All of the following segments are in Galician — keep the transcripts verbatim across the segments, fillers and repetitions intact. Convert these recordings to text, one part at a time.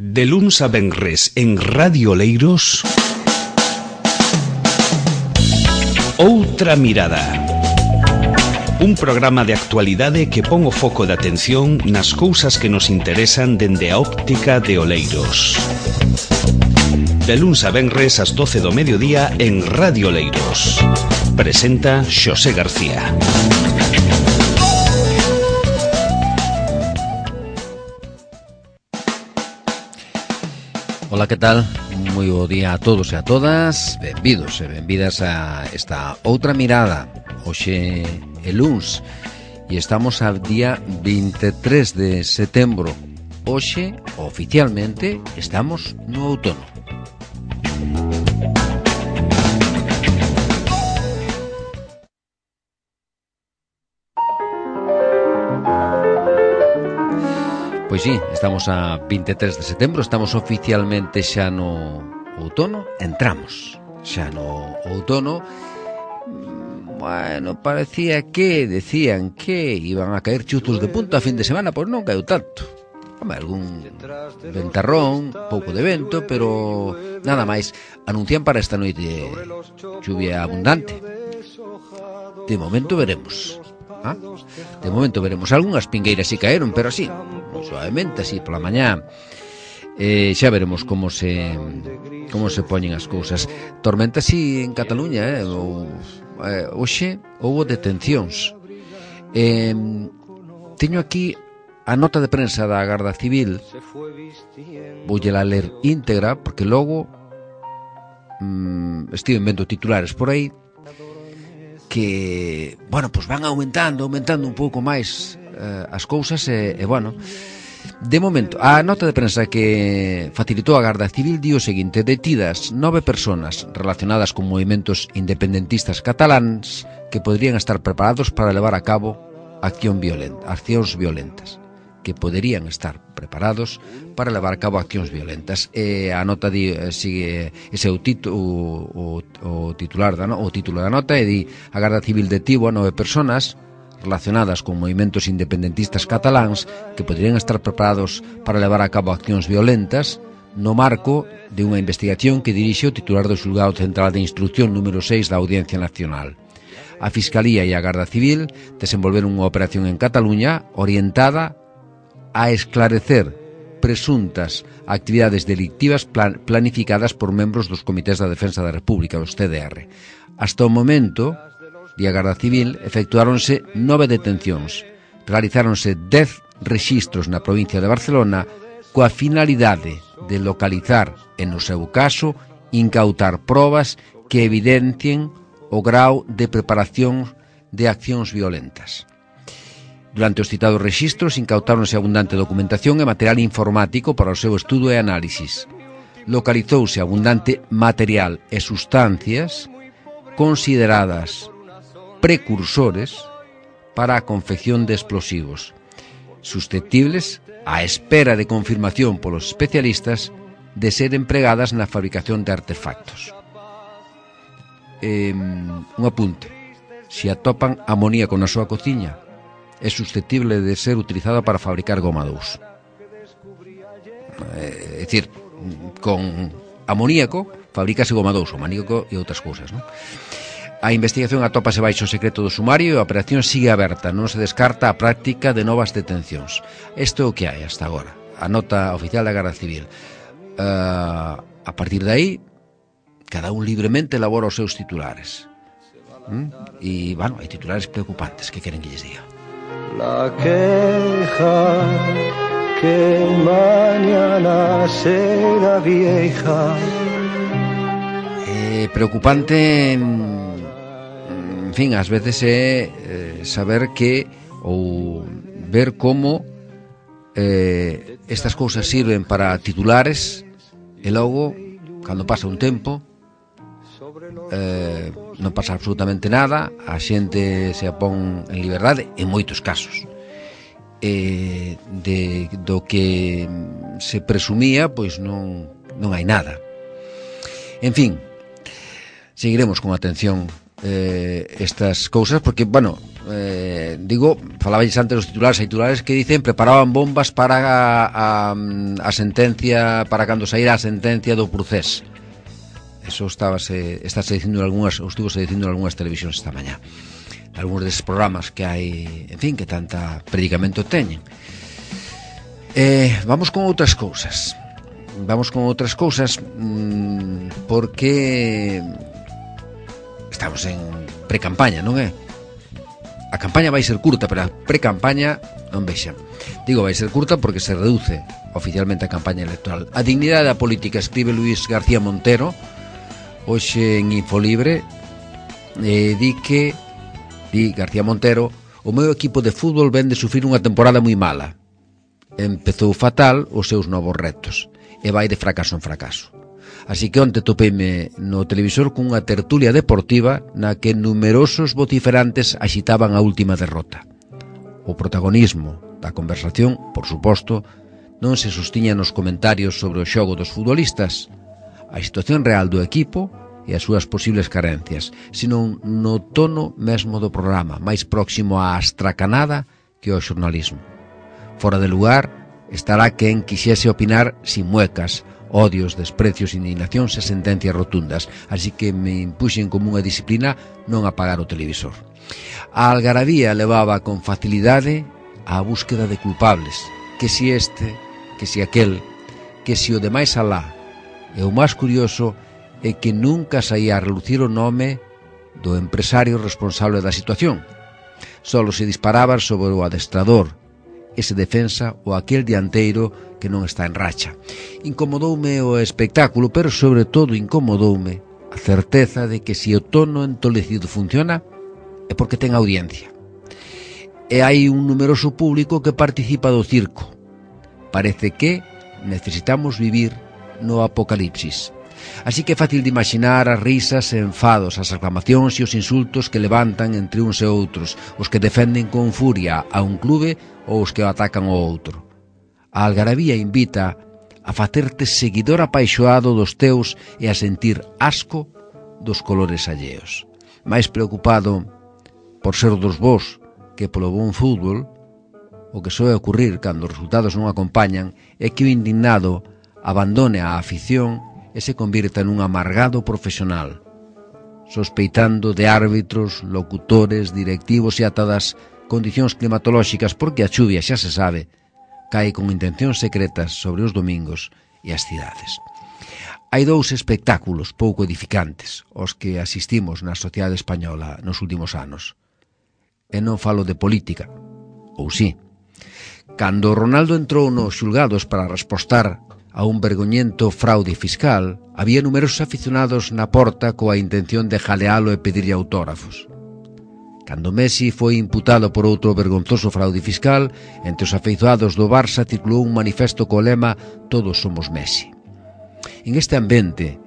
De luns a venres en Radio Oleiros, Outra Mirada. Un programa de actualidade que pon o foco de atención nas cousas que nos interesan dende a óptica de Oleiros. De luns a venres ás doce do mediodía en Radio Oleiros. Presenta Xosé García. Ola, que tal? Moi bo día a todos e a todas. Benvidos e benvidas a esta Outra Mirada. Hoxe é luns e estamos ao día vinte e tres de setembro. Hoxe, oficialmente, estamos no outono. Pois sí, estamos a vinte e tres de setembro, estamos oficialmente xa no outono, entramos xa no outono. Bueno, parecía que decían que iban a caer chuzos de punta a fin de semana, pois non caeu tanto. Home, algún ventarrón, pouco de vento, pero nada máis. Anuncian para esta noite lluvia abundante. De momento veremos. ¿Ah? De momento veremos. Algunhas pingueiras si caeron, pero así, moi suavemente, así pola mañá. Eh, xa veremos como se como se poñen as cousas. Tormenta así en Cataluña, eh? O, eh, hoxe houbo detencións. Eh, teño aquí a nota de prensa da Garda Civil. Voulla ler íntegra porque logo mm, estive vendo titulares por aí que, bueno, pues van aumentando, aumentando un pouco máis eh, as cousas e, e, bueno, de momento, a nota de prensa que facilitou a Garda Civil di o seguinte: detidas nove personas relacionadas con movimentos independentistas cataláns que poderían estar preparados para levar a cabo acción violenta, accións violentas que poderían estar preparados para levar a cabo accións violentas. E a nota di, sigue ese o, tito, o, o, o titular da no, o título da nota e di: a Garda Civil detivo a nove personas relacionadas con movimentos independentistas cataláns que poderían estar preparados para levar a cabo accións violentas no marco de unha investigación que dirixe o titular do Xulgado Central de Instrucción número seis da Audiencia Nacional. A Fiscalía e a Garda Civil desenvolveron unha operación en Cataluña orientada a esclarecer presuntas actividades delictivas plan- planificadas por membros dos Comités da Defensa da República, os C D R. Hasta o momento, di a Garda Civil, efectuáronse nove detencións, realizáronse dez rexistros na provincia de Barcelona coa finalidade de localizar e, no seu caso, incautar probas que evidencien o grau de preparación de accións violentas. Durante os citados rexistros incautáronse abundante documentación e material informático para o seu estudo e análisis. Localizouse abundante material e sustancias consideradas precursores para a confección de explosivos, susceptibles, á espera de confirmación polos especialistas, de ser empregadas na fabricación de artefactos. Eh, un apunte: se atopan amoníaco na súa cociña, é susceptible de ser utilizada para fabricar goma dous. É dicir, con amoníaco fabrícase goma dous, o maníaco e outras cousas, non? A investigación atópase baixo o secreto do sumario e a operación sigue aberta, non se descarta a práctica de novas detencións. Isto é o que hai hasta agora, a nota oficial da Garda Civil. Uh, a partir de aí, cada un libremente elabora os seus titulares. ¿Mm? E, bueno, hai titulares preocupantes, que queren que lles diga? La queja que mañana será vieja. Eh, preocupante, en fin, ás veces é eh, saber que ou ver como eh, estas cousas sirven para titulares e logo, cando pasa un tempo, Eh, non pasa absolutamente nada, a xente se apón en liberdade en moitos casos. Eh, de, do que se presumía, pois non, non hai nada. En fin, seguiremos con atención eh, estas cousas, porque, bueno, eh, digo, falabais antes dos titulares, hai titulares que dicen preparaban bombas para a, a, a sentencia, para cando saíra a sentencia do Procés. Eso estábase, estáse dicindo en algunhas, ou estuvose dicindo en algunhas televisións esta mañá, algúns desses programas que hai, en fin, que tanta predicamento teñen. Eh, vamos con outras cousas. Vamos con outras cousas mmm, porque estamos en pre-campaña, non é? A campaña vai ser curta, pero a pre-campaña non vexan. Digo, vai ser curta porque se reduce oficialmente a campaña electoral. A dignidade da política, escribe Luis García Montero hoxe en Infolibre, e di que di García Montero: o meu equipo de fútbol ven de sufrir unha temporada moi mala. Empezou fatal os seus novos retos e vai de fracaso en fracaso. Así que onte topeime no televisor cunha tertulia deportiva na que numerosos vociferantes axitaban a última derrota. O protagonismo da conversación, por suposto, non se sostiña nos comentarios sobre o xogo dos futbolistas, a situación real do equipo e as súas posibles carencias, sino no tono mesmo do programa, máis próximo á astracanada que ao xornalismo. Fora de lugar estará quen quixese opinar sin muecas, odios, desprecios, indignacións e sentencias rotundas, así que me impuxen como unha disciplina non apagar o televisor. A algarabía levaba con facilidade á búsqueda de culpables, que si este, que si aquel, que si o de máis alá. E o máis curioso é que nunca saía a relucir o nome do empresario responsable da situación. Solo se disparaban sobre o adestrador, ese defensa ou aquel dianteiro que non está en racha. Incomodoume o espectáculo, pero sobre todo incomodoume a certeza de que se o tono entolecido funciona é porque ten audiencia. E hai un numeroso público que participa do circo. Parece que necesitamos vivir no apocalipsis. Así que é fácil de imaginar as risas e enfados, as aclamacións e os insultos que levantan entre uns e outros, os que defenden con furia a un clube ou os que o atacan ao outro. A algarabía invita a facerte seguidor apaixoado dos teus e a sentir asco dos colores alleos. Mais preocupado por ser dos vos que polo bon fútbol, o que soe ocurrir cando os resultados non acompañan é que o indignado abandone a afición e se convirta nun amargado profesional, sospeitando de árbitros, locutores, directivos e ata das condicións climatolóxicas, porque a chuvia, xa se sabe, cae con intencións secretas sobre os domingos e as cidades. Hai dous espectáculos pouco edificantes aos que asistimos na sociedade española nos últimos anos. E non falo de política, ou sí. Cando Ronaldo entrou nos xulgados para respostar a un vergoñento fraude fiscal, había numerosos aficionados na porta coa intención de jalealo e pedirlle autógrafos. Cando Messi foi imputado por outro vergonzoso fraude fiscal, entre os afeizoados do Barça titulou un manifesto co lema "Todos somos Messi". En este ambiente,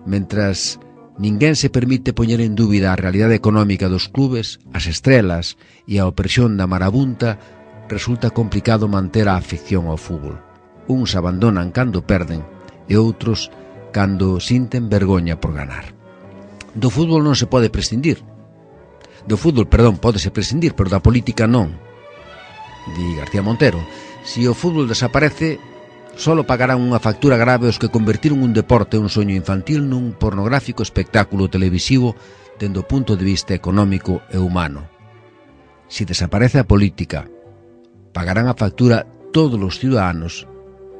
mentras ninguén se permite poñer en dúbida a realidade económica dos clubes, as estrelas e a opresión da marabunta, resulta complicado manter a afección ao fútbol. Uns abandonan cando perden e outros cando sinten vergoña por ganar. Do fútbol non se pode prescindir. Do fútbol, perdón, pódese prescindir, pero da política non. Di García Montero, se o fútbol desaparece, solo pagarán unha factura grave os que convertiron un deporte e un soño infantil nun pornográfico espectáculo televisivo dende o punto de vista económico e humano. Se desaparece a política, pagarán a factura todos os ciudadanos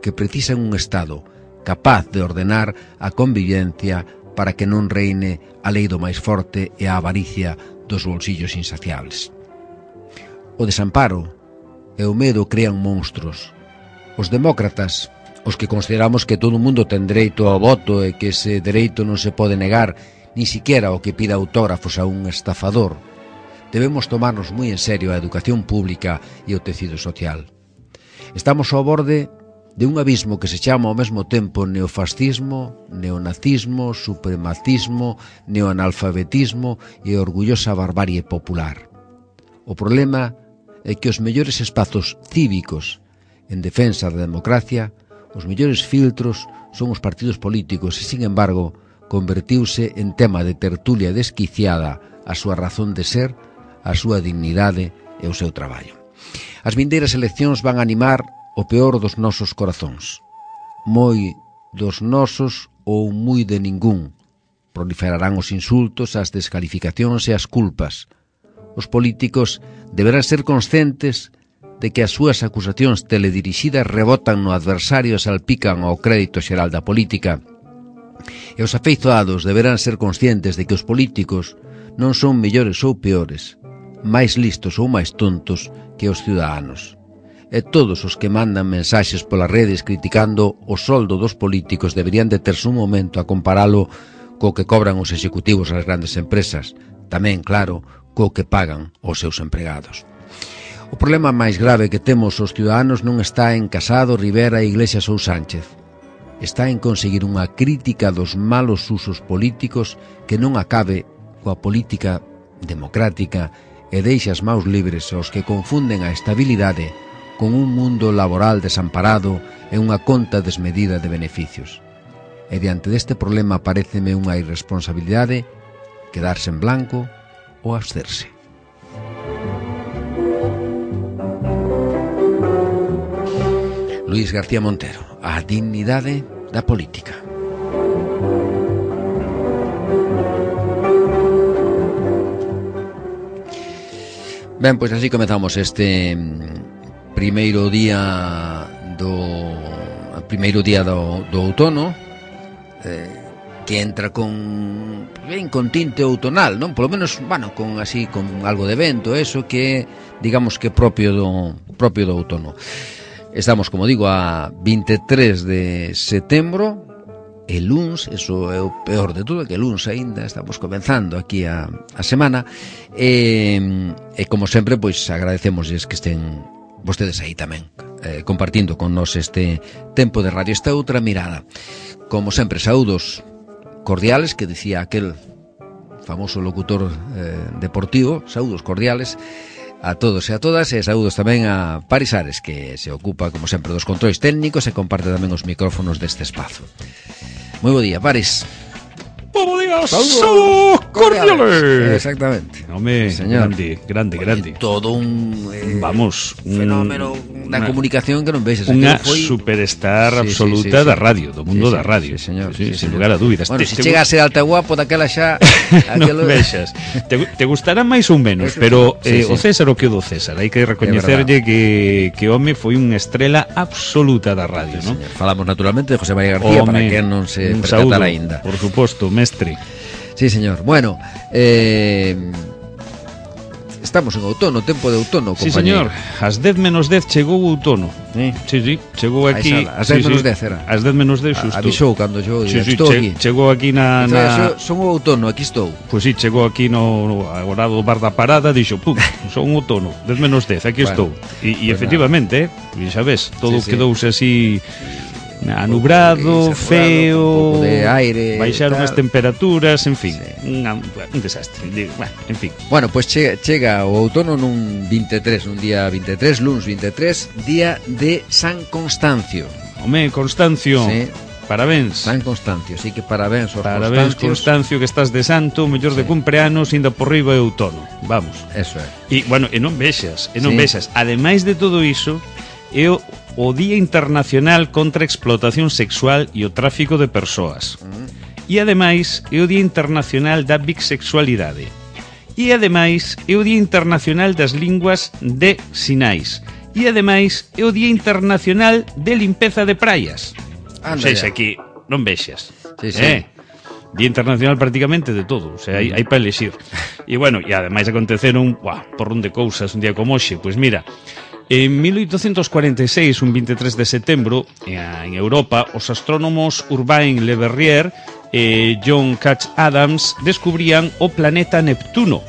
que precisan un Estado capaz de ordenar a convivencia para que non reine a lei do máis forte e a avaricia dos bolsillos insaciables. O desamparo e o medo crean monstruos. Os demócratas, os que consideramos que todo o mundo ten dereito ao voto e que ese dereito non se pode negar ni siquiera o que pida autógrafos a un estafador, debemos tomarnos moi en serio a educación pública e o tecido social. Estamos ao borde de un abismo que se chama ao mesmo tempo neofascismo, neonazismo, supremacismo, neoanalfabetismo e orgullosa barbarie popular. O problema é que os mellores espazos cívicos en defensa da democracia, os mellores filtros son os partidos políticos e, sin embargo, convertiuse en tema de tertulia desquiciada a súa razón de ser, a súa dignidade e o seu traballo. As vindeiras eleccións van animar o peor dos nosos corazóns. Moi dos nosos ou moi de ningún. Proliferarán os insultos, as descalificacións e as culpas. Os políticos deberán ser conscientes de que as súas acusacións teledirixidas rebotan no adversario e salpican ao crédito xeral da política. E os afeizoados deberán ser conscientes de que os políticos non son mellores ou peores, máis listos ou máis tontos que os ciudadanos. E todos os que mandan mensaxes polas redes criticando o soldo dos políticos deberían deterse un momento a comparalo co que cobran os executivos das grandes empresas, tamén, claro, co que pagan os seus empregados. O problema máis grave que temos os ciudadanos non está en Casado, Rivera, Iglesias ou Sánchez. Está en conseguir unha crítica dos malos usos políticos que non acabe coa política democrática e deixa as maus libres aos que confunden a estabilidade con un mundo laboral desamparado e unha conta desmedida de beneficios. E diante deste problema paréceme unha irresponsabilidade quedarse en blanco ou absterse. Luís García Montero, a dignidade da política. Ben, pois así comezamos este primeiro día do primeiro día do, do outono, eh, que entra con ben con tinte outonal, non? Polo menos, bueno, con así con algo de vento, eso que digamos que propio do propio do outono. Estamos, como digo, a vinte e tres de setembro. E luns, eso é o peor de todo, que luns aínda estamos comenzando aquí a, a semana e, e como sempre, pois agradecemosles que estén vostedes aí tamén eh, compartindo con nós este tempo de radio, esta outra mirada. Como sempre, saúdos cordiales, que dicía aquel famoso locutor eh, deportivo, saúdos cordiales a todos e a todas, e saúdos tamén a Paris Ares, que se ocupa, como sempre, dos controis técnicos e comparte tamén os micrófonos deste espazo. Moi bo día, Paris. Bo día, saúdos cordiales. Exactamente. Home, grande, grande, grande. Todo un eh, vamos, un fenómeno da comunicación que non vexes. Unha foi... superstar sí, absoluta sí, sí, sí. da radio, do mundo sí, sí, da radio. Sí, señor. Sí, sí, sin señor. lugar a dúbidas. Bueno, te, se te... chega a ser alta guapo daquela xa aquelo... non vexas. Te, te gustará máis ou menos, eso, pero sí, eh, sí. o César o que o do César. Hai que recoñecerlle que que home foi unha estrela absoluta da radio, sí, non? Falamos naturalmente de José María García, home, para que non se percatara aínda. Por suposto, mestre. Sí, señor. Bueno, eh, estamos en outono, tempo de outono, compañero. Sí, señor. Ás dez menos dez chegou o outono. Sí, sí, sí. Chegou aquí. Ás dez menos dez era. Ás dez menos dez xusto. Avisou cando yo sí, sí, estou che, aquí. Chegou aquí na... na... Son o outono, aquí estou. Pois sí, chegou aquí no, no agora do bar da parada, dixo, pum, son outono, dez menos dez, aquí bueno, estou. E, e pues efectivamente, eh, xa ves, todo sí, quedouse sí. así... anubrado, feo, un de aire, baixaron as temperaturas, en fin, sí. un, un desastre, bueno, en fin. Bueno, pois pues chega, chega o outono nun vinte e tres, un día vinte e tres, luns vinte e tres, día de San Constancio. Home, Constancio. Sí. Parabéns. San Constancio, sí que parabéns aos Parabéns, Constancio, que estás de santo, mellor sí. de cumpleanos, inda por riba é outono. Vamos. Eso é. E, bueno, e non vexas, e non sí. vexas. Ademais de todo iso, é o o Día Internacional contra a Explotación Sexual e o Tráfico de Persoas. E ademais é o Día Internacional da Bisexualidade. E ademais é o Día Internacional das Linguas de Sinais. E ademais é o Día Internacional de Limpeza de Praias. Anda, o sea, aquí non vexas. Sí, sí. Eh? Día Internacional prácticamente de todo, o sea, hai, hai para elexir. E bueno, e ademais aconteceron, uah, por un de cousas un día como hoxe, pois mira, en mil oitocentos cuarenta e seis, un vinte e tres de setembro, en Europa, os astrónomos Urbain Le Verrier e John Couch Adams descubrían o planeta Neptuno.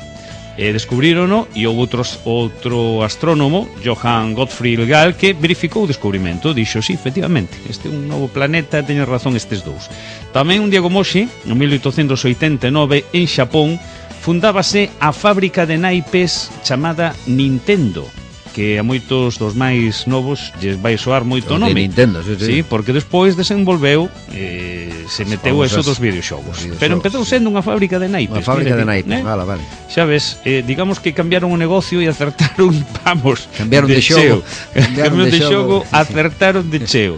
E descubrírono e houve outros, outro astrónomo, Johann Gottfried Gall, que verificou o descubrimento. Dixo, sí, efectivamente, este é un novo planeta, teñen razón estes dous. Tamén un día como hoxe, en mil oitocentos oitenta e nove, en Xapón, fundábase a fábrica de naipes chamada Nintendo, que a moitos dos máis novos lles vai soar moito o nome. De Nintendo, sí, sí. Sí, porque despois desenvolveu, eh, se meteu eso dos videoxogos. videoxogos pero empezou sendo unha fábrica de naipes. Unha fábrica de naipes, eh? vale, vale. Xa ves, eh, digamos que cambiaron o negocio e acertaron, vamos, cambiaron de, de xogo. Cambiaron de, de xogo, acertaron de cheo.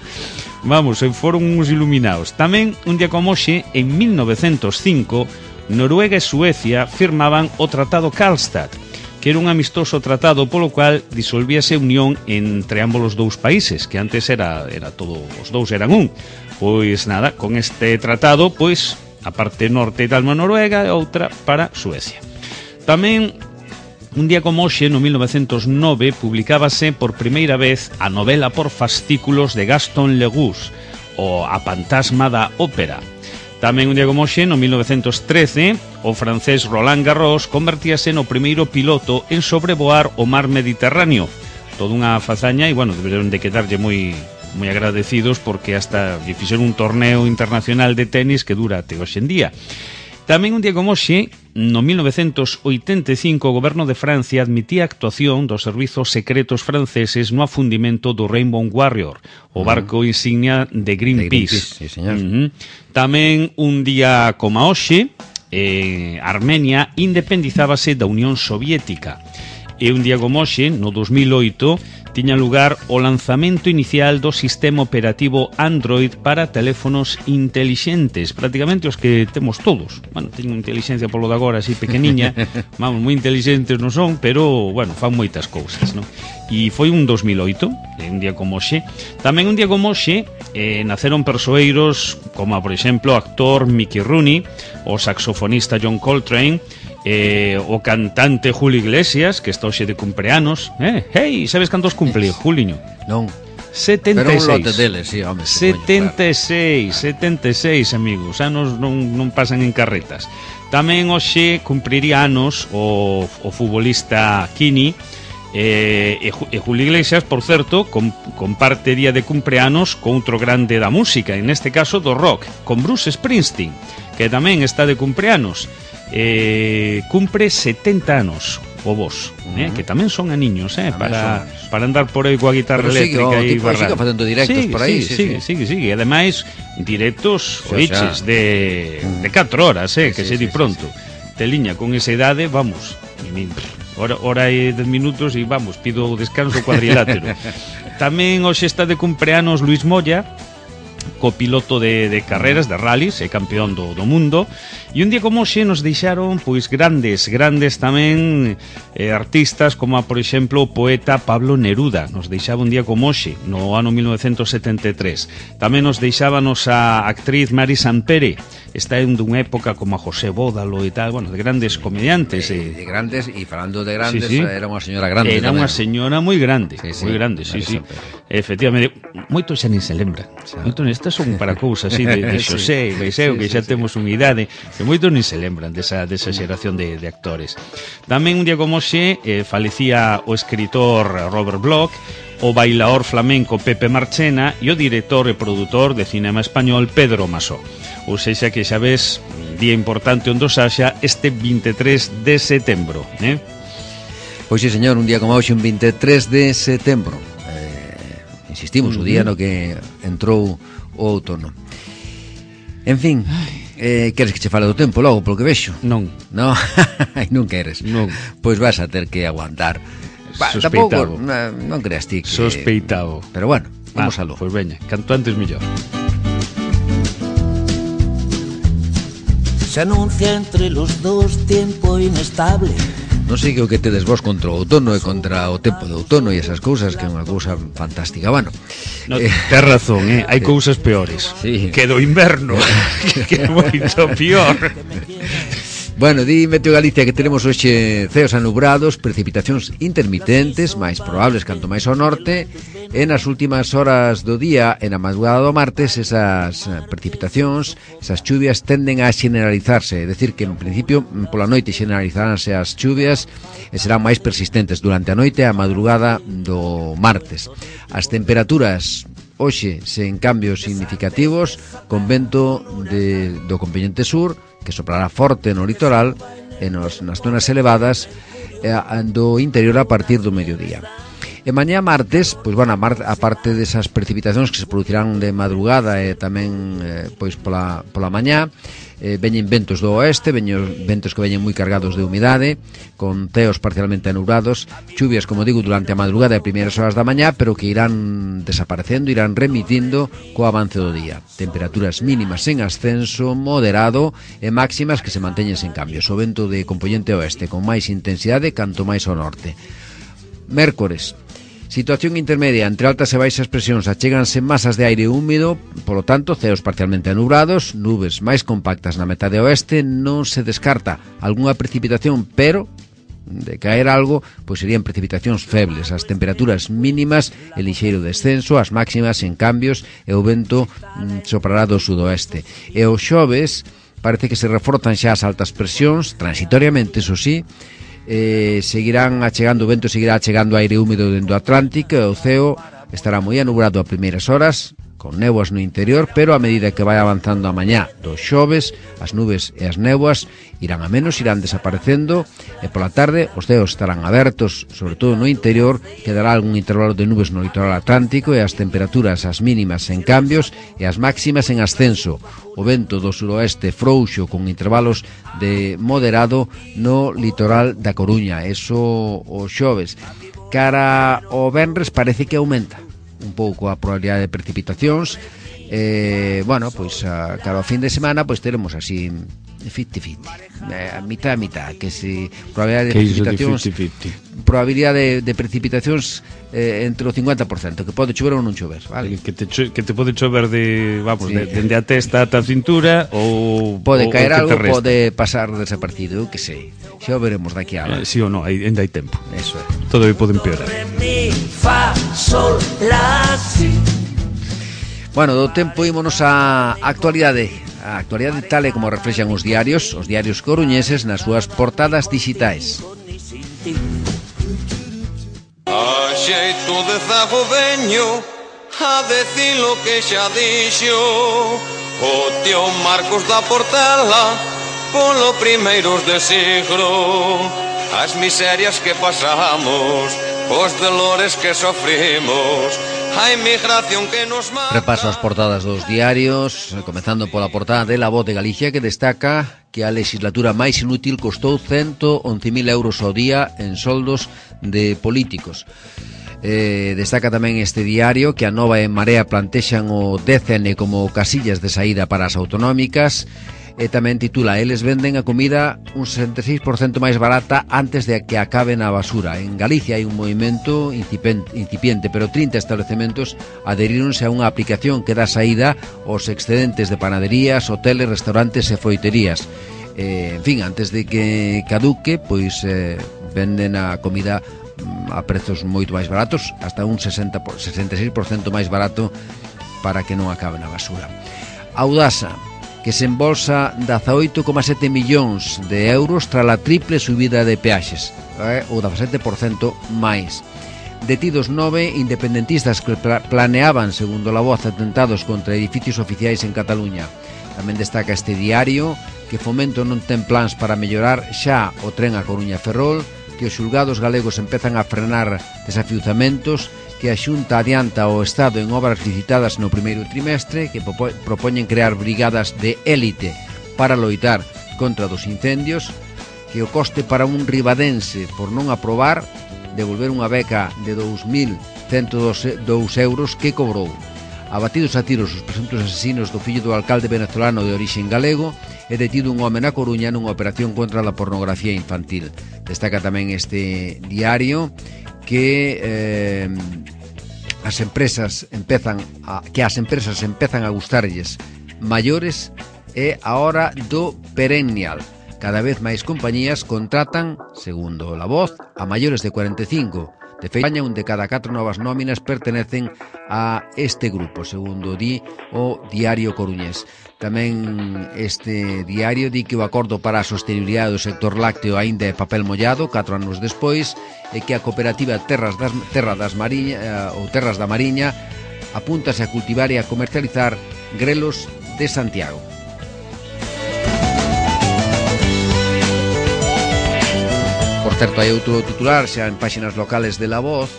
Vamos, foron uns iluminados. Tamén, un día como hoxe, en mil novecentos cinco, Noruega e Suecia firmaban o Tratado Karlstad, que era un amistoso tratado polo cual disolvíase unión entre ambos os dous países, que antes era, era todo, os dous eran un. Pois nada, con este tratado, pois, a parte norte da Noruega e outra para Suecia. Tamén, un día como hoxe, no mil novecentos nove, publicábase por primeira vez a novela por fascículos de Gaston Legoux, o A Pantasma da Ópera. Tamén un día como hoxe, no mil novecentos trece, o francés Roland Garros convertíase no primeiro piloto en sobrevoar o mar Mediterráneo. Toda unha fazaña e, bueno, deberon de quedarlle moi moi agradecidos porque hasta lle fixeron un torneo internacional de tenis que dura até hoxe en día. Tamén un día como hoxe, no mil novecentos oitenta e cinco, o goberno de Francia admitía a actuación dos servizos secretos franceses no afundimento do Rainbow Warrior, o barco insignia de Greenpeace. De Greenpeace, sí, señor. Uh-huh. Tamén un día como hoxe, eh, Armenia independizábase da Unión Soviética. E un día como hoxe, no dos mil oito, tiña lugar o lanzamento inicial do sistema operativo Android para teléfonos intelixentes, prácticamente os que temos todos. Bueno, teñen inteligencia polo de agora así pequeniña, vamos, moi intelixentes non son, pero, bueno, fan moitas cousas, non? E foi un dos mil oito, un día como hoxe. Tamén un día como hoxe, eh, naceron persoeiros como, por exemplo, o actor Mickey Rooney, o saxofonista John Coltrane, Eh, o cantante Julio Iglesias, que está hoxe de cumpleanos. eh? Hey, sabes cantos cumple, Juliño? Non. setenta e seis. Pero un lote deles, sí, home, setenta e seis, setenta e seis, amigos. Anos non, non pasan en carretas. Tamén hoxe cumpriría anos o, o futbolista Kini. Eh, e, e Julio Iglesias, por certo, com, comparte día de cumpleanos con outro grande da música, en este caso do rock, con Bruce Springsteen, que tamén está de cumpleanos. Eh, cumpre setenta anos o vos, uh-huh. eh, que tamén son aniños, eh, para, para andar por aí coa guitarra pero eléctrica e barrar. Sigue facendo directos sigue, por aí, sigue, sí, sigue, sí. sigue, sigue. Ademais, directos o sea, oiches de, de catro horas, eh, sí, que sí, se di sí, pronto. Sí, sí. Teliña, con esa idade, vamos, hora, hora e dez minutos e vamos, pido descanso cuadrilátero. Tamén hoxe está de cumpleanos Luis Moya, copiloto de, de carreras, de rallies, e campeón do, do mundo. E un día como hoxe nos deixaron pois grandes, grandes tamén eh, artistas como, a, por exemplo, o poeta Pablo Neruda. Nos deixaba un día como hoxe, no ano mil novecentos setenta e tres. Tamén nos deixábanos a actriz Mari Sampere. Está en dunha época como a José Bódalo e tal, bueno, de grandes comediantes. De, de grandes, e falando de grandes, sí, sí. Era unha señora grande. Era unha señora moi grande, sí, sí, moi grande, sí, sí. Efectivamente, moito xa nin se lembra. Moito estas son para cousas así de, de Xosé, sí, Beiseu, sí, que xa sí, temos sí. unha idade, que moitos nin se lembran desa, desa xeración de, de actores. Tamén un día como xe eh, falecía o escritor Robert Bloch, o bailaor flamenco Pepe Marchena e o director e produtor de cinema español Pedro Masó. Ou sexa que xa ves, día importante onde Saxa este vinte e tres de setembro, eh? Pois sí, señor, un día como hoxe, un vinte e tres de setembro. Eh, insistimos, uh-huh. o día no que entrou o outono. En fin, eh, queres que che fale do tempo logo, polo que vexo? Non. Non, non queres. Non. Pois vas a ter que aguantar. Ba, Sospeitado. Tampouco, non, non creas ti que... Sospeitado. Pero bueno, vamos ah, aló. Pois veña, canto antes mellor. Se anuncia entre los dos tiempo inestable. Non sei que o que tedes vos contra o outono e contra o tempo de outono e esas cousas, que é unha cousa fantástica. Bueno, no, eh, tes razón, eh? Hai cousas peores, sí. Que do inverno, que é moito peor. Bueno, di Meteo Galicia que tenemos hoxe ceos anubrados, precipitacións intermitentes, máis probables canto máis ao norte. En as últimas horas do día, en a madrugada do martes, esas precipitacións, esas chuvias tenden a generalizarse, é dicir que en principio pola noite generalizaránse as chuvias e serán máis persistentes durante a noite e a madrugada do martes. As temperaturas hoxe sen cambios significativos, con vento de, do componente sur, que soprará forte no litoral e nos, nas zonas elevadas eh, do interior a partir do mediodía. E mañá martes, pois bueno, a parte desas precipitacións que se producirán de madrugada e tamén eh, pois pola, pola mañá, eh, veñen ventos do oeste, veñen ventos que veñen moi cargados de humidade, con ceos parcialmente anubrados, chuvias, como digo, durante a madrugada e primeiras horas da mañá, pero que irán desaparecendo, irán remitindo co avance do día. Temperaturas mínimas en ascenso, moderado e máximas que se manteñen sen cambios. O vento de componente oeste con máis intensidade canto máis ao norte. Mércores, situación intermedia entre altas e baixas presións, achéganse masas de aire húmido, polo tanto, ceos parcialmente anubrados, nubes máis compactas na metade oeste, non se descarta algunha precipitación, pero de caer algo, pois serían precipitacións febles, as temperaturas mínimas e lixeiro descenso, as máximas en cambios e o vento mm, soprará do sudoeste. E o xoves parece que se reforzan xa as altas presións, transitoriamente, eso sí, Eh, seguirán achegando, o vento seguirá achegando aire húmido dentro do Atlántico e o ceo estará moi anubrado a primeiras horas, con néboas no interior, pero a medida que vai avanzando a mañá dos xoves, as nubes e as néboas irán a menos, irán desaparecendo e pola tarde os ceos estarán abertos, sobre todo no interior, quedará algún intervalo de nubes no litoral atlántico e as temperaturas, as mínimas en cambios e as máximas en ascenso. O vento do suroeste frouxo con intervalos de moderado no litoral da Coruña, eso o xoves. Cara ao venres parece que aumenta un pouco a probabilidade de precipitacións. Eh, bueno, pois a cara ao fin de semana pois teremos así cincuenta cincuenta, eh, a mitad a mitad, que si probabilidade de precipitacións, de cincuenta cincuenta? Probabilidade de, de precipitacións eh, entre o cincuenta por cento, que pode chover ou non chover, vale? Que te, cho, que te pode chover de, vamos, sí. de, dende a testa ata a cintura ou pode ou, caer ou algo, pode pasar desaparecido, eu que sei. Xa o veremos daqui a eh, si ou non, ainda hai tempo. Eso é. Todo aí pode empeorar. Bueno, do tempo ímonos á actualidade. A actualidade tal e como reflexan os diarios, os diarios coruñeses nas súas portadas digitais. A xeito de zago veño a decir lo que xa dixo o tío Marcos da Portela polo primeiros de siglo, as miserias que pasamos, os dolores que sofrimos, a inmigración que nos mata. Repaso as portadas dos diarios, comezando pola portada de La Voz de Galicia, que destaca que a legislatura máis inútil costou ciento once mil euros ao día en soldos de políticos. Eh, destaca tamén este diario que a Nova e Marea plantexan o D C N como casillas de saída para as autonómicas. E tamén titula: eles venden a comida un sesenta e seis por cento máis barata antes de que acabe na basura. En Galicia hai un movimento incipiente, pero trinta establecementos adheríronse a unha aplicación que dá saída aos excedentes de panaderías, hoteles, restaurantes e froiterías. Eh, en fin, antes de que caduque, pois eh, venden a comida a prezos moito máis baratos, hasta un sesenta, sesenta e seis por cento máis barato, para que non acabe na basura. Audasa, que se embolsa dezaoito coma sete millóns de euros tras a triple subida de peaxes, eh, o dezasete por cento máis. Detidos nove independentistas que pla planeaban, segundo La Voz, atentados contra edificios oficiais en Cataluña. Tamén destaca este diario que Fomento non ten plans para mellorar xa o tren a Coruña Ferrol, que os xulgados galegos empezan a frenar desafiuzamentos, que a Xunta adianta o Estado en obras licitadas no primeiro trimestre, que propoñen crear brigadas de élite para loitar contra dos incendios, que o coste para un ribadense por non aprobar devolver unha beca de dous mil cento e dous euros que cobrou. Abatidos a tiros os presuntos asesinos do fillo do alcalde venezolano de orixen galego e detido un home na Coruña nunha operación contra a pornografía infantil. Destaca tamén este diario que eh, as empresas empezan a, que as empresas empezan a gustarlles maiores e a hora do perennial. Cada vez máis compañías contratan, segundo La Voz, a maiores de cuarenta e cinco. De feito, España, un de cada catro novas nóminas pertenecen a este grupo, segundo di o Diario Coruñés. Tamén este diario di que o acordo para a sostenibilidade do sector lácteo aínda é papel mollado catro anos despois e que a cooperativa Terras das, Terra das Mariña, ou Terras da Mariña apúntase a cultivar e a comercializar grelos de Santiago. Por certo, hai outro titular xa en páxinas locales de La Voz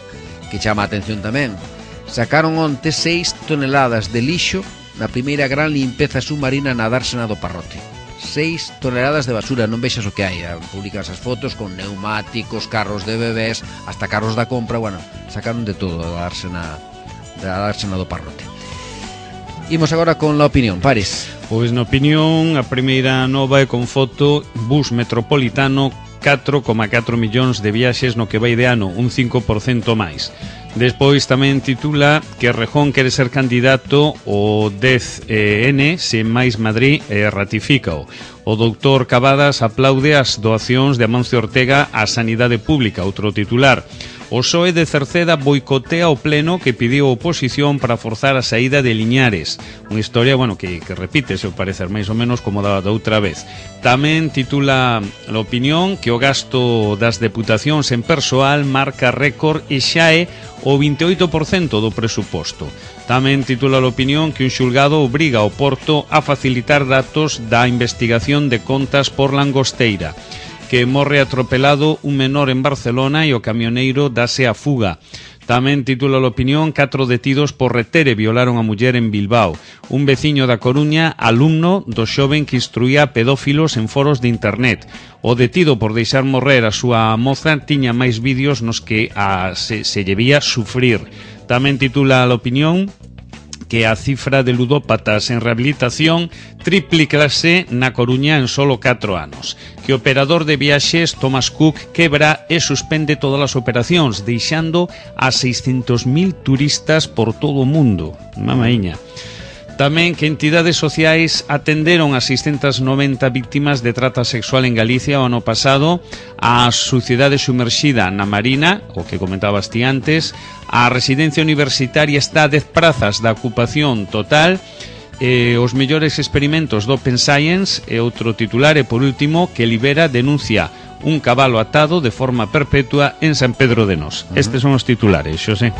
que chama a atención tamén. Sacaron onte seis toneladas de lixo na primeira gran limpeza submarina na dársena do Parrote. seis toneladas de basura, non vexas o que hai. Publican esas fotos con neumáticos, carros de bebés, hasta carros da compra. Bueno, sacaron de todo da dársena, da dársena do Parrote. Imos agora con la opinión, Paris. Pois na opinión, a primeira nova é con foto: bus metropolitano, catro coma catro millóns de viaxes no que vai de ano, un cinco por cento máis. Despois tamén titula que Errejón quere ser candidato ao dez N se máis Madrid eh, ratifícao. O doutor Cavadas aplaude as doacións de Amancio Ortega á sanidade pública. Outro titular: o P S O E de Cerceda boicotea o pleno que pidiu a oposición para forzar a saída de Liñares. Unha historia, bueno, que, que repite, se o parecer, máis ou menos como da, da outra vez. Tamén titula a opinión que o gasto das deputacións en persoal marca récord e xa é o vinte e oito por cento do presuposto. Tamén titula a opinión que un xulgado obriga ao Porto a facilitar datos da investigación de contas por Langosteira, que morre atropelado un menor en Barcelona e o camioneiro dase a fuga. Tamén titula a opinión: catro detidos por reter e violaron a muller en Bilbao. Un veciño da Coruña, alumno do xoven que instruía pedófilos en foros de internet. O detido por deixar morrer a súa moza tiña máis vídeos nos que a, se, se llevía sufrir. Tamén titula a opinión que a cifra de ludópatas en rehabilitación triplícase na Coruña en solo catro anos. Que o operador de viaxes Thomas Cook quebra e suspende todas as operacións, deixando a seiscentos mil turistas por todo o mundo. Mamaíña. Tamén que entidades sociais atenderon a seiscentas noventa víctimas de trata sexual en Galicia o ano pasado, a Sucidade Sumerxida na Marina, o que comentabas ti antes, a residencia universitaria está a dez prazas da ocupación total, eh, os mellores experimentos do Open Science e outro titular, e por último, que Libera denuncia un cabalo atado de forma perpetua en San Pedro de Nós. Uh-huh. Estes son os titulares, Xosé.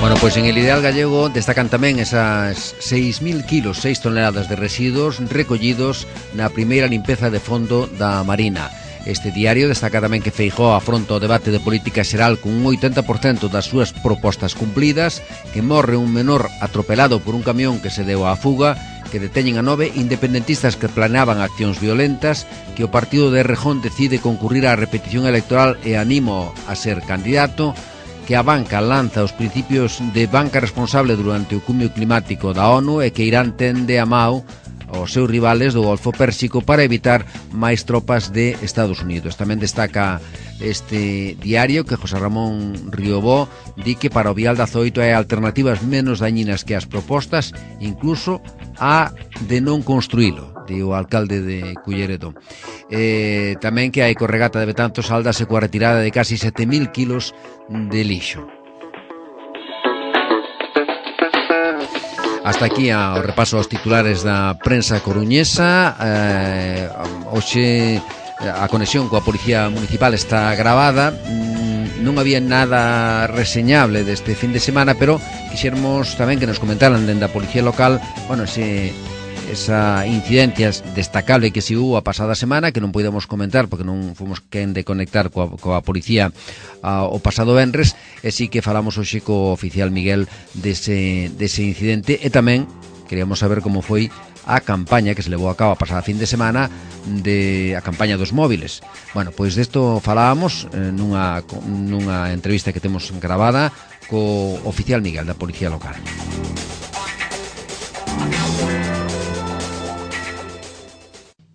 Bueno, pois en el Ideal Gallego destacan tamén esas seis mil kilos, seis toneladas de residuos recollidos na primeira limpeza de fondo da Marina. Este diario destaca tamén que Feijóo afronta o debate de política xeral con un oitenta por cento das súas propostas cumplidas, que morre un menor atropelado por un camión que se deu á fuga, que deteñen a nove independentistas que planeaban accións violentas, que o partido de Errejón decide concurrir á repetición electoral e animo a ser candidato, que a banca lanza os principios de banca responsable durante o cumio climático da ONU e que Irán tende a Mao aos seus rivales do Golfo Pérsico para evitar máis tropas de Estados Unidos. Tamén destaca este diario que José Ramón Riobó di que para o vial da Zoito hai alternativas menos dañinas que as propostas, incluso a de non construílo, di o alcalde de Culleredo. Eh, tamén que a ecorregata de Betanzos saldase coa retirada de casi sete mil kilos de lixo. Hasta aquí o repaso aos titulares da prensa coruñesa. eh, Hoxe a conexión coa Policía Municipal está gravada. Non había nada reseñable deste fin de semana, pero quixermos tamén que nos comentaran dende a Policía Local, bueno, ese, esa incidencia destacable que se hubo a pasada semana, que non podemos comentar porque non fomos quen de conectar coa, coa Policía a, o pasado venres, e sí que falamos hoxe co oficial Miguel dese, dese incidente, e tamén queríamos saber como foi a campaña que se levou a cabo a pasada fin de semana, de a campaña dos móviles. Bueno, pois desto falábamos eh, nunha, nunha entrevista que temos gravada co oficial Miguel da Policía Local.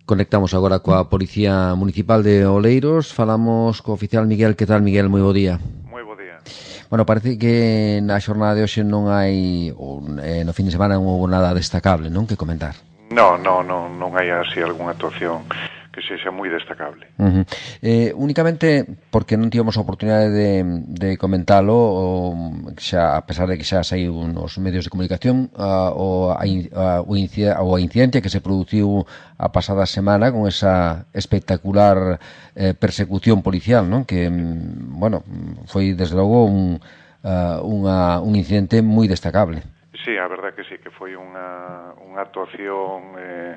Conectamos agora coa Policía Municipal de Oleiros. Falamos co oficial Miguel. Que tal, Miguel? Moi bo día. Moi bo día. Bueno, parece que na xornada de hoxe non hai, ou, eh, no fin de semana non houve nada destacable, non, que comentar? No, no, no, non hai así algunha actuación que sexa moi destacable. Uh-huh. Eh, únicamente porque non tivemos a oportunidade de, de comentalo, o, xa, a pesar de que xa saiu nos medios de comunicación, uh, o, a, a, o, incid, o a incidencia que se produciu a pasada semana con esa espectacular eh, persecución policial, non? Que, bueno, foi desde logo un, uh, unha, un incidente moi destacable. sí, a verdad que sí, que foi unha, unha actuación eh,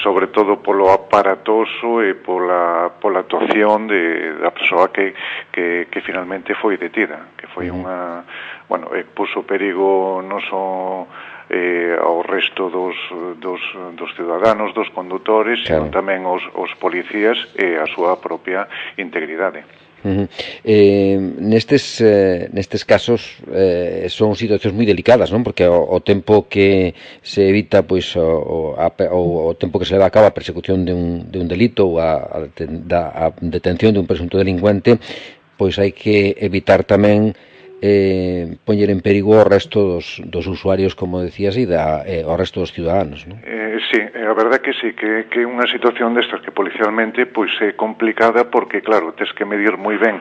sobre todo polo aparatoso e pola, pola actuación de, da persoa que, que, que finalmente foi detida, que foi uh-huh. unha, bueno, eh, puso perigo non só eh, ao resto dos, dos, dos ciudadanos, dos condutores, claro. Sino tamén os, os policías e a súa propia integridade. Uh-huh. Eh, nestes eh, nestes casos eh, son situacións moi delicadas, non? Porque o, o tempo que se evita pois o, o, a, o, o tempo que se leva a cabo a persecución de un, de un delito ou a, a, a detención de un presunto delincuente, pois hai que evitar tamén eh, poñer en perigo o resto dos, dos usuarios, como decías, e da, eh, o resto dos ciudadanos, non? Eh, sí, a verdade que sí, que, que unha situación destas que policialmente pois é complicada porque, claro, tes que medir moi ben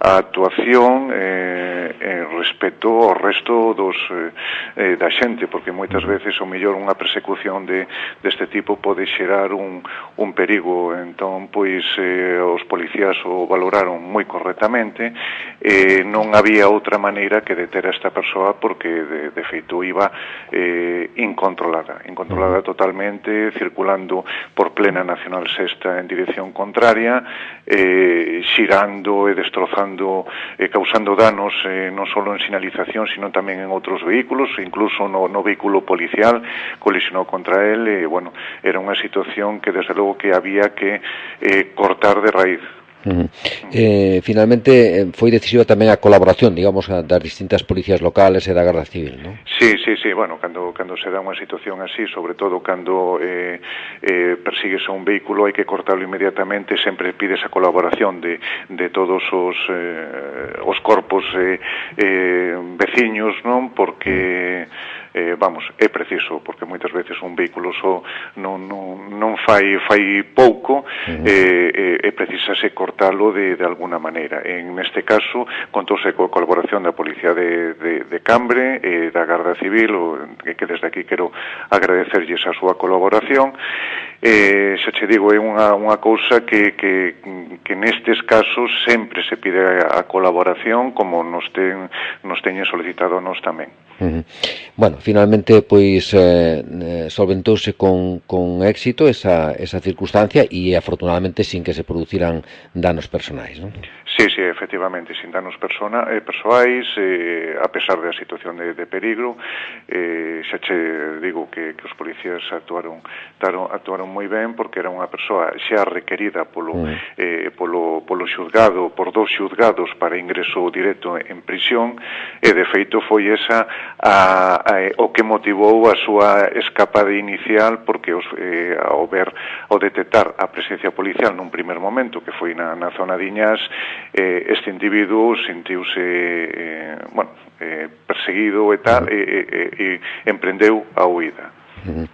a actuación eh, eh, respecto ao resto dos eh, da xente, porque moitas veces o mellor unha persecución de deste tipo pode xerar un, un perigo. Entón, pois, eh, os policías o valoraron moi correctamente, eh, non había outra maneira que deter a esta persoa porque de, de feito iba eh, incontrolada, incontrolada totalmente, circulando por plena Nacional Sexta en dirección contraria, eh, xirando e destrozando, eh, causando danos eh, non só en sinalización, sino tamén en outros vehículos, incluso no, no vehículo policial colisionou contra él, e, bueno, era unha situación que desde logo que había que eh, cortar de raíz. Uh-huh. Eh, finalmente foi decisiva tamén a colaboración, digamos, das distintas policías locales e da Garda Civil, non? Sí, sí, sí, bueno, cando, cando se dá unha situación así, sobre todo cando eh, eh, persigues a un vehículo, hai que cortarlo inmediatamente, sempre pides a colaboración de, de todos os, eh, os corpos eh, eh, veciños, non? Porque eh, vamos, é preciso, porque moitas veces un vehículo só non, non, non fai, fai pouco, uh-huh. eh, eh, precisase cortalo de, de alguna maneira. En este caso, contouse coa colaboración da Policía de, de, de Cambre e eh, da Garda Civil, o, que desde aquí quero agradecerlles a súa colaboración. Eh, xa che digo, é unha, unha cousa que, que, que nestes casos sempre se pide a, a colaboración, como nos, ten, nos teñen solicitado a nos tamén. Uh-huh. Bueno, finalmente, pois, eh, solventouse con, con éxito esa, esa circunstancia e, afortunadamente, sin que se produciran danos personais, non? Sí, sí, efectivamente, sin danos persona, eh, persoais, eh, a pesar da situación de, de peligro, eh, xa che digo que, que os policías actuaron, actuaron, actuaron moi ben, porque era unha persoa xa requerida polo, mm. eh, polo, polo xuzgado, por dos xuzgados para ingreso directo en prisión, e de feito foi esa a, a, o que motivou a súa escapada inicial, porque os, eh, ao ver, ao detectar a presencia policial nun primer momento, que foi na, na zona de Iñás, eh, este individuo sentiuse eh, bueno, eh, perseguido e tal, e, e, e emprendeu a huida. Uh-huh.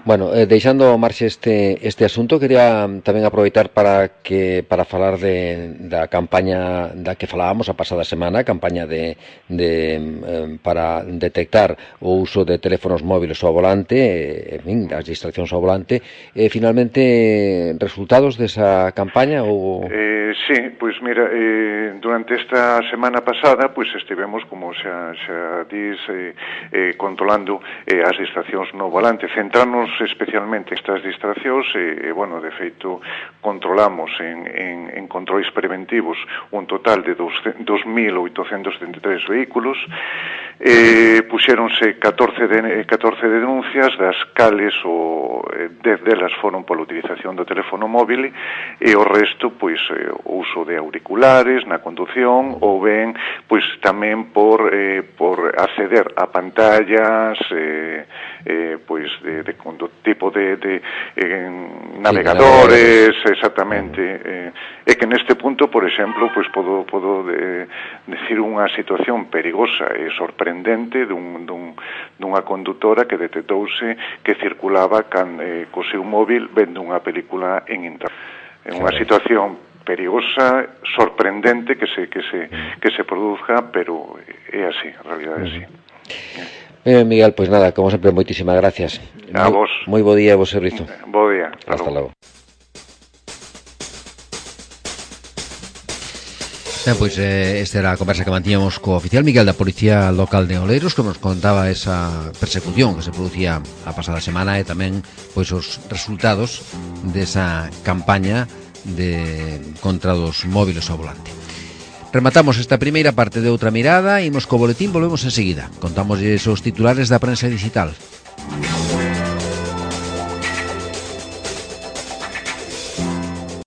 Bueno, eh, deixando ao marxe este, este asunto, quería tamén aproveitar para que para falar de, da campaña da que falábamos a pasada semana, a campaña de, de eh, para detectar o uso de teléfonos móviles ao volante, eh, en fin, as distraccións ao volante. Eh, finalmente, resultados desa campaña ou... Eh, sí, pois pues mira, eh, durante esta semana pasada, pois pues estivemos, como xa, xa dis, eh, eh, controlando eh, as distraccións no volante, centrarnos especialmente estas distraccións, e, eh, bueno, de feito, controlamos en, en, en controis preventivos un total de dos mil oitocentos setenta e tres vehículos, eh, puxéronse catorce, de, catorce denuncias, das cales o eh, dez delas foron pola utilización do teléfono móvil, e o resto, pois, eh, o uso de auriculares na condución, ou ben, pois, tamén por, eh, por acceder a pantallas, eh, eh, pois, de, de, de tipo de, de eh, navegadores, sí, exactamente, eh, é que neste punto, por exemplo, pois podo, podo de, decir unha situación perigosa e sorprendente dun, dun, dunha condutora que detectouse que circulaba can, eh, co seu móvil vendo unha película en internet. É unha situación perigosa, sorprendente que se que se que se produzca, pero é así, a realidade é así. Eh, Miguel, pois pues nada, como sempre, moitísimas gracias. A moi, vos. Moi bo día e bo servizo. Bo día. Hasta logo. Ben, pois eh, esta era a conversa que mantíamos co oficial Miguel da Policía Local de Oleiros, que nos contaba esa persecución que se producía a pasada semana e tamén pois os resultados desa campaña de contra dos móviles ao volante. Rematamos esta primeira parte de Outra Mirada, imos co boletín, volvemos enseguida. Contamos os titulares da prensa digital.